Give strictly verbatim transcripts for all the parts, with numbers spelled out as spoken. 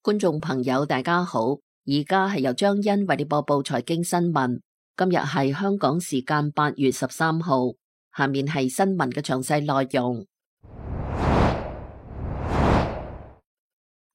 觀眾朋友大家好，而家係由張欣為你播報財經新聞。今日係香港時間八月十三號，下面係新聞嘅詳細內容。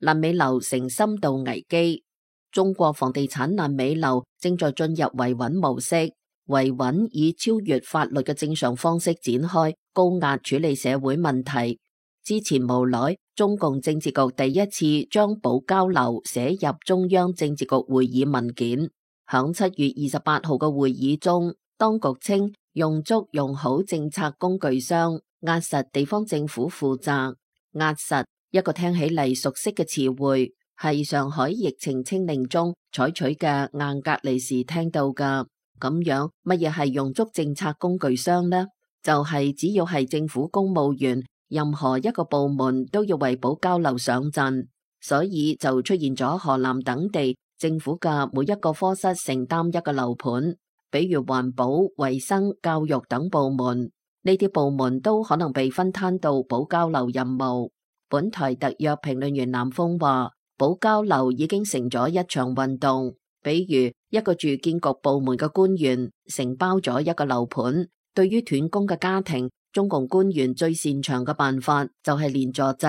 爛尾樓成深度危機，中國房地產爛尾樓正在進入維穩模式，維穩以超越法律嘅正常方式展開，高壓處理社會問題。之前無耐，中共政治局第一次將保交樓寫入中央政治局會議文件。響七月二十八號嘅會議中，當局稱用足用好政策工具箱，壓實地方政府負責。壓實一個聽起嚟熟悉嘅詞彙，係上海疫情清零中採取嘅硬隔離時聽到㗎。咁樣乜嘢係用足政策工具箱呢？就係、是、只要係政府公務員，任何一個部門都要為保交樓上陣，所以就出現咗河南等地政府嘅每一個科室承擔一個樓盤，比如環保、衛生、教育等部門，呢啲部門都可能被分攤到保交樓任務。本台特約評論員南風話，保交樓已經成咗一場運動，比如一個住建局部門嘅官員承包咗一個樓盤，對於斷供嘅家庭，中共官員最擅長嘅辦法就係連坐制，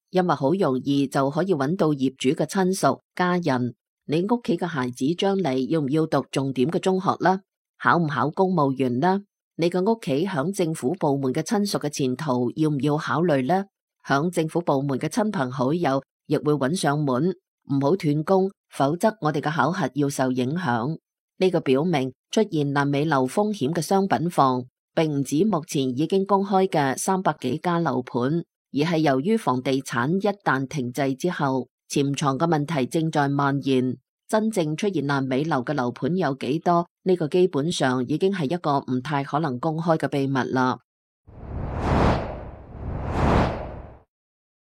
因為好容易就可以揾到業主嘅親屬家人。你屋企嘅孩子將嚟要唔要讀重點嘅中學啦？考唔考公務員啦？你嘅屋企響政府部門嘅親屬嘅前途要唔要考慮呢？響政府部門嘅親朋好友亦會揾上門，唔好斷供，否則我哋嘅考核要受影響。呢個表明出現爛尾樓風險嘅商品房，並唔止目前已經公開嘅三百幾家樓盤，而係由於房地產一旦停滯之後，潛藏嘅問題正在蔓延。真正出現爛尾樓嘅樓盤有幾多？呢個基本上已經係一個唔太可能公開嘅秘密啦。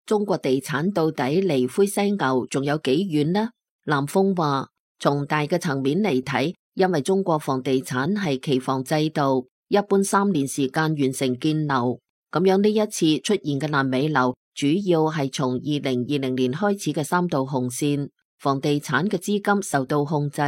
中國地產到底離灰犀牛仲有幾遠呢？南風話，從大嘅層面嚟睇，因為中國房地產係期房制度，一般三年時間完成建樓，咁樣呢一次出現嘅爛尾樓，主要係從二零二零年開始嘅三道紅線，房地產嘅資金受到控制，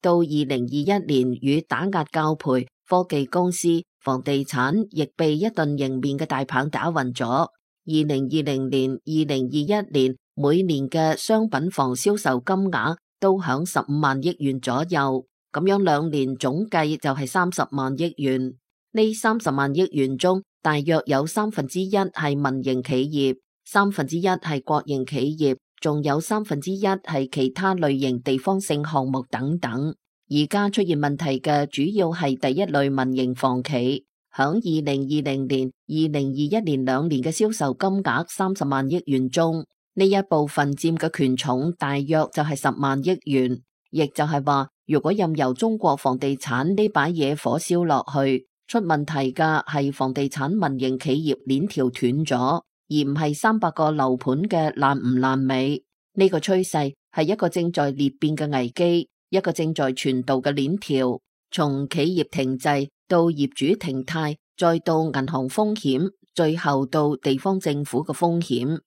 到二零二一年與打壓教培、科技公司、房地產亦被一頓迎面嘅大棒打暈咗。二零二零年、二零二一年每年嘅商品房銷售金額都響十五萬億元左右，咁樣兩年總計就係三十萬億元。呢三十萬億元中，大約有三分之一係民營企業，三分之一係國營企業，仲有三分之一係其他類型地方性項目等等。而家出現問題嘅主要係第一類民營房企。響二零二零年、二零二一年兩年嘅銷售金額三十萬億元中，呢一部分佔嘅權重大約就係十萬億元，亦就係話，如果任由中國房地產呢把野火燒落去，出問題嘅係房地產民營企業鏈條斷咗，而唔係三百個樓盤嘅爛唔爛尾。呢個趨勢係一個正在裂變嘅危機，一個正在傳導嘅鏈條，從企業停滯到業主停貸，再到銀行風險，最後到地方政府嘅風險。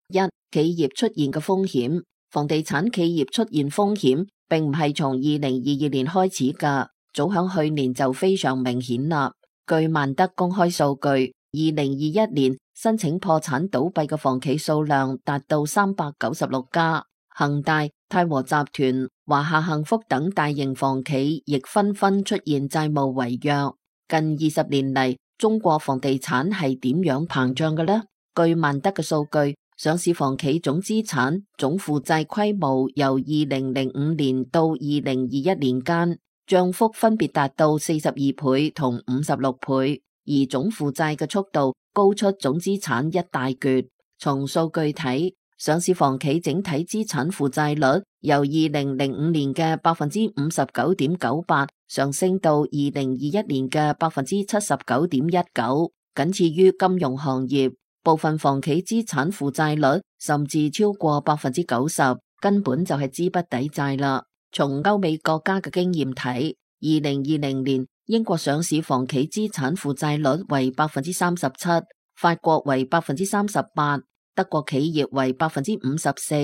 一、企業出現嘅風險，房地產企業出現風險，並唔係從二零二二年開始㗎，早響去年就非常明顯啦。據萬德公開數據，二零二一年申請破產倒閉嘅房企數量達到三百九十六家，恒大、泰和集團、華夏幸福等大型房企亦紛紛出現債務違約。近二十年嚟，中國房地產係點樣膨脹嘅呢？據萬德嘅數據，上市房企總資產、總負債規模由二零零五年到二零二一年間，漲幅分別達到四十二倍同五十六倍，而總負債嘅速度高出總資產一大橛。從數據睇，上市房企整體資產負債率由二零零五年嘅百分之五十九點九八上升到二零二一年嘅百分之七十九點一九，僅次於金融行業。部分房企資產負債率甚至超過百分之九十，根本就係資不抵債啦。從歐美國家嘅經驗睇，二零二零年英國上市房企資產負債率為百分之三十七，法國為百分之三十八。德國企業為百分之五十四，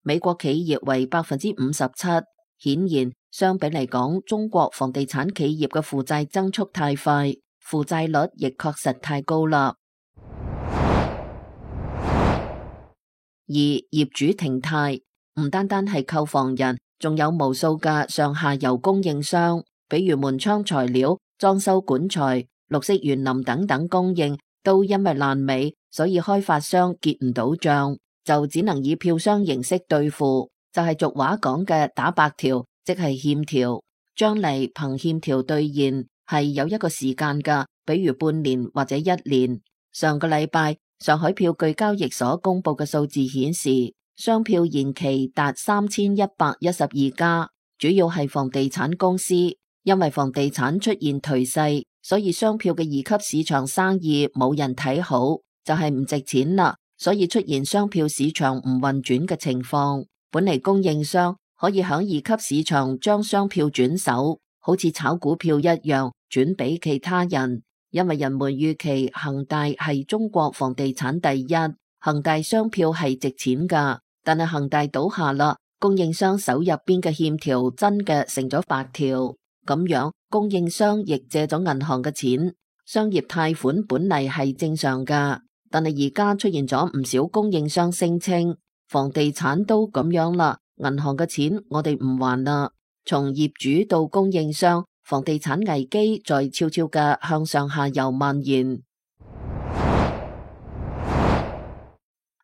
美國企業為百分之五十七。顯然，相比嚟講，中國房地產企業嘅負債增速太快，負債率亦確實太高啦。二、業主停貸，唔單單係購房人，仲有無數嘅上下游供應商，比如門窗材料、裝修管材、綠色園林等等供應，都因為爛尾，所以開發商結唔到賬，就只能以票商形式兌付，就係俗話講嘅打白條，即係欠條。將嚟憑欠條兌現係有一個時間噶，比如半年或者一年。上個禮拜，上海票據交易所公布嘅數字顯示，商票延期達三千一百一十二家，主要係房地產公司。因為房地產出現頹勢，所以商票嘅二級市場生意冇人睇好，就係唔值錢啦，所以出現商票市場唔運轉嘅情況。本嚟供應商可以響二級市場將商票轉手，好似炒股票一樣轉俾其他人。因為人們預期恒大係中國房地產第一，恒大商票係值錢噶，但係恒大倒下啦，供應商手入邊嘅欠條真嘅成咗白條，咁樣供應商亦借咗銀行嘅錢。商業貸款本嚟係正常噶，但係而家出現咗唔少供應商聲稱房地產都咁樣啦，銀行嘅錢我哋唔還啦。從業主到供應商，房地產危機在悄悄嘅向上下游蔓延。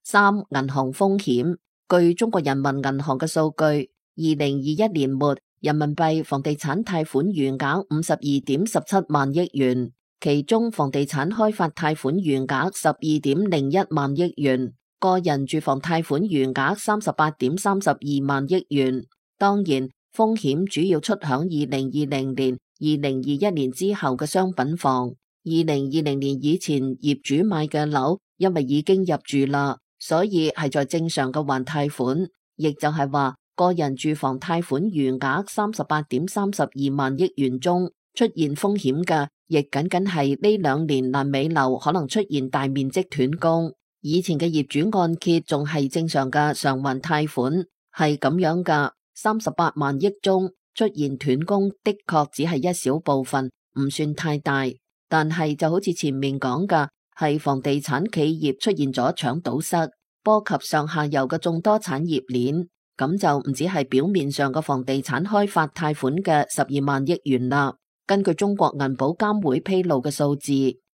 三、銀行風險。據中國人民銀行嘅數據，二零二一年末人民幣房地產貸款餘額五十二點十七萬億元，其中房地產開發貸款餘額十二點零一萬億元，個人住房貸款餘額三十八點三十二萬億元。當然，風險主要出響二零二零年、二零二一年之後嘅商品房。二零二零年以前業主買嘅樓，因為已經入住啦，所以係在正常嘅還貸款。亦就係話，個人住房貸款餘額三十八點三十二萬億元中，出現風險嘅，亦僅僅係呢兩年爛尾樓可能出現大面積斷供。以前嘅業主按揭仲係正常嘅償還貸款，係咁樣噶。三十八萬億中出現斷供的確只係一小部分，唔算太大。但係就好似前面講嘅，係房地產企業出現咗搶堵塞，波及上下游嘅眾多產業鏈，咁就唔止係表面上嘅房地產開發貸款嘅十二萬億元啦。根據中國銀保監會披露嘅數字，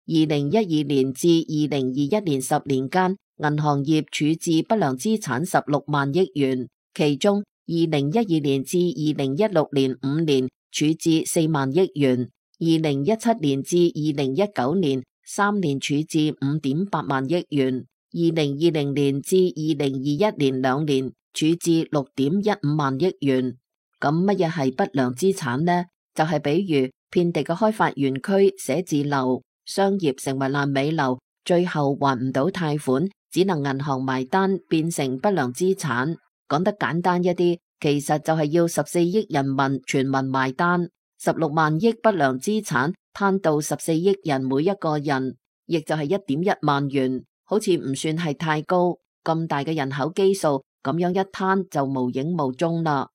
二零一二年至二零二一年十年間，銀行業處置不良資產十六萬億元，其中二零一二年至二零一六年五年處置四萬億元，二零一七年至二零一九年三年處置五點八萬億元，二零二零年至二零二一年兩年處置六點一五萬億元。咁乜嘢係不良資產呢？就係、是、比如遍地嘅開發園區、寫字樓、商業成為爛尾樓，最後還唔到貸款，只能銀行埋單，變成不良資產。講得簡單一啲，其實就係要十四億人民全民埋單，十六萬億不良資產攤到十四億人每一個人，亦就係一點一萬元，好似唔算係太高。咁大嘅人口基數，咁樣一攤就無影無蹤啦。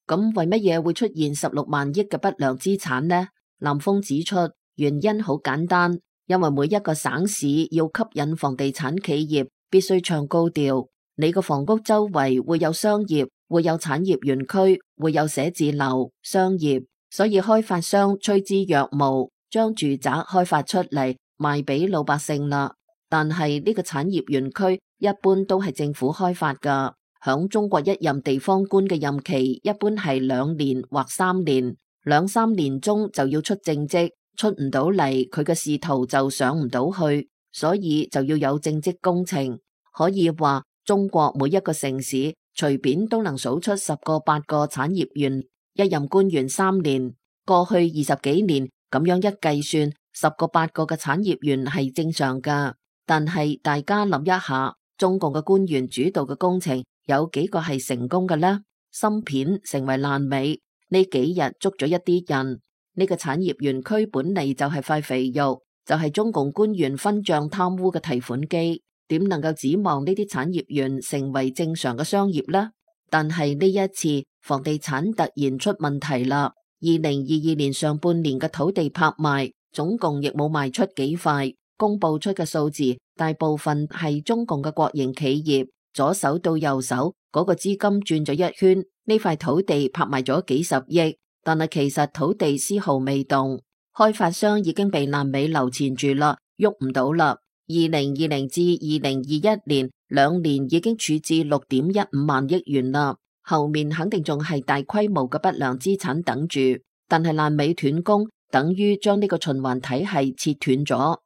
咁為乜嘢會出現十六萬億嘅不良資產呢？南豐指出，原因好簡單。因為每一個省市要吸引房地產企業，必須唱高調。你個房屋周圍會有商業，會有產業園區，會有寫字樓、商業，所以開發商趨之若鶩，將住宅開發出嚟賣俾老百姓啦。但係呢個產業園區一般都係政府開發噶，響中國一任地方官嘅任期一般係兩年或三年，兩三年中就要出政績。出唔到嚟，佢嘅仕途就上唔到去，所以就要有政績工程。可以話中國每一個城市隨便都能數出十個八個產業園，一任官員三年，過去二十幾年咁樣一計算，十個八個嘅產業園係正常噶。但係大家諗一下，中共嘅官員主導嘅工程有幾個係成功嘅呢？芯片成為爛尾，呢幾日捉咗一啲人。呢個產業園區本嚟就係塊肥肉，就係中共官員分賬貪污嘅提款機，點能夠指望呢啲產業園成為正常嘅商業呢？但係呢一次房地產突然出問題啦。二零二二年上半年嘅土地拍賣總共亦冇賣出幾塊，公布出嘅數字大部分係中共嘅國營企業，左手到右手嗰個資金轉咗一圈，呢塊土地拍賣咗幾十億，但係其實土地絲毫未動，開發商已經被爛尾樓纏住啦，喐唔到啦。二零二零至二零二一年兩年已經處置六點一五萬億元啦。後面肯定仲係大規模嘅不良資產等住，但係爛尾斷供，等於將呢個循環體系切斷咗。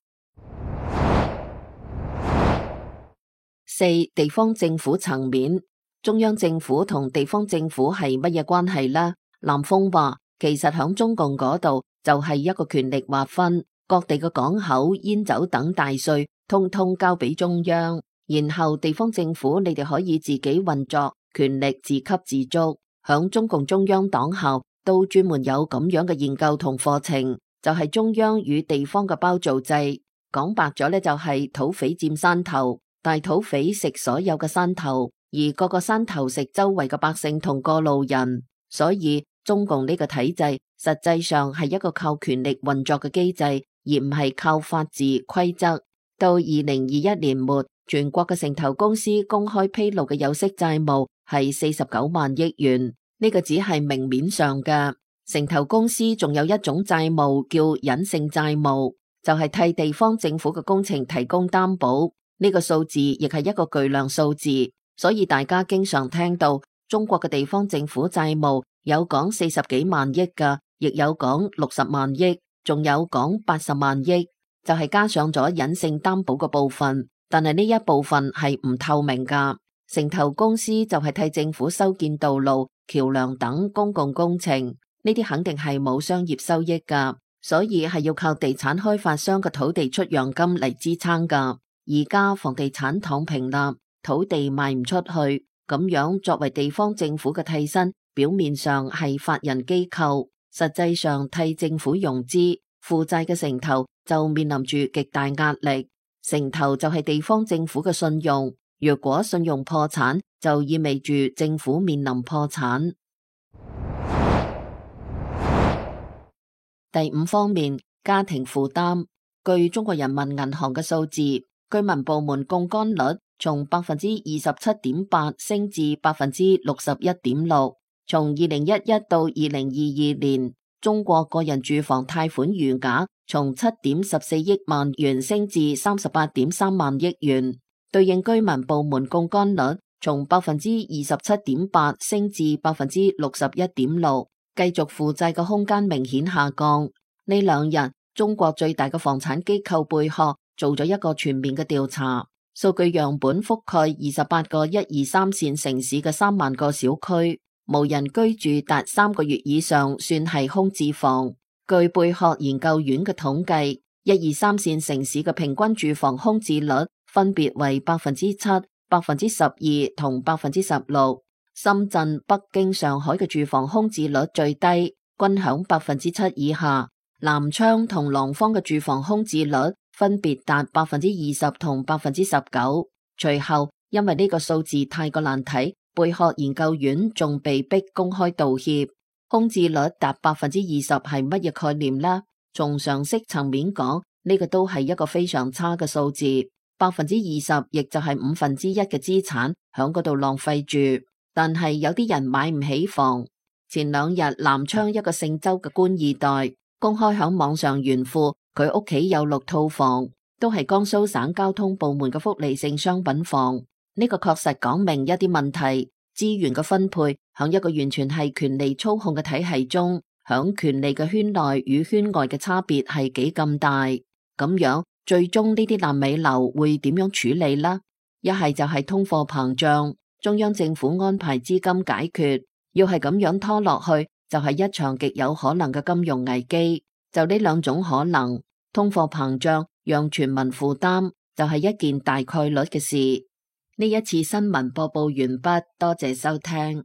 四、地方政府層面，中央政府同地方政府係乜嘢關係呢？南風話，其實響中共嗰度就係一個權力劃分，各地嘅港口、煙酒等大稅，通通交俾中央，然後地方政府你哋可以自己運作。權力自給自足，響中共中央黨校都專門有咁樣嘅研究同課程，就係中央與地方嘅包造制。講白咗呢，就係土匪佔山頭，大土匪食所有嘅山頭，而各個山頭食周圍嘅百姓同過路人。所以中共呢個體制實際上係一個靠權力運作嘅機制，而唔係靠法治規則。到二零二一年末，全國嘅城投公司公開披露嘅有息債務係四十九萬億元，呢個只係明面上嘅。城投公司仲有一種債務叫隱性債務，就係替地方政府嘅工程提供擔保，呢個數字亦係一個巨量數字。所以大家經常聽到中國嘅地方政府債務有講四十幾萬億㗎，亦有講六十萬億，仲有講八十萬億，就係加上咗隱性擔保嘅部分。但係呢一部分係唔透明噶，城投公司就係替政府修建道路、橋樑等公共工程，呢啲肯定係冇商業收益噶，所以係要靠地產開發商嘅土地出讓金嚟支撐噶。而家房地產躺平啦，土地賣唔出去，咁樣作為地方政府嘅替身，表面上係法人機構，實際上替政府融資負債嘅城投就面臨住極大壓力。城投就係地方政府嘅信用，若果信用破產，就意味住政府面臨破產。第五方面，家庭負擔。據中國人民銀行嘅數字，居民部門槓桿率從百分之二十七點八升至百分之六十一點六。從二零一一到二零二二年，中國個人住房貸款餘額從七點十四億萬元升至三十八點三萬億元，對應居民部門槓桿率從百分之二十七點八升至百分之六十一點六，繼續負債嘅空間明顯下降。呢兩日，中國最大嘅房產機構貝殼做咗一個全面嘅調查，數據樣本覆蓋二十八個一二三線城市嘅三萬個小區，無人居住達三個月以上算係空置房。據貝殼研究院嘅統計，一二三線城市嘅平均住房空置率分別為百分之七、百分之十二同百分之十六。深圳、北京、上海嘅住房空置率最低，均響百分之七以下。南昌同廊坊嘅住房空置率分別達百分之二十同百分之十九。隨後，因為呢個數字太過難睇，貝殼研究院仲被逼公開道歉。空置率達百分之二十係乜嘢概念呢？從常識層面講，呢個都係一個非常差嘅數字。百分之二十亦就係五分之一嘅資產響嗰度浪費住。但係有啲人買唔起房。前兩日南昌一個姓周嘅官二代公開響網上炫富，佢屋企有六套房，都係江蘇省交通部門嘅福利性商品房。呢個確實講明一啲問題。資源嘅分配響一個完全係權力操控嘅體系中，響權力嘅圈內與圈外嘅差別係幾咁大。咁樣最終呢啲爛尾樓會點樣處理呢？一係就係通貨膨脹，中央政府安排資金解決。要係咁樣拖落去，就係一場極有可能嘅金融危機。就呢兩種可能，通貨膨脹讓全民負擔，就係一件大概率嘅事。呢一次新聞播報完畢，多謝收聽。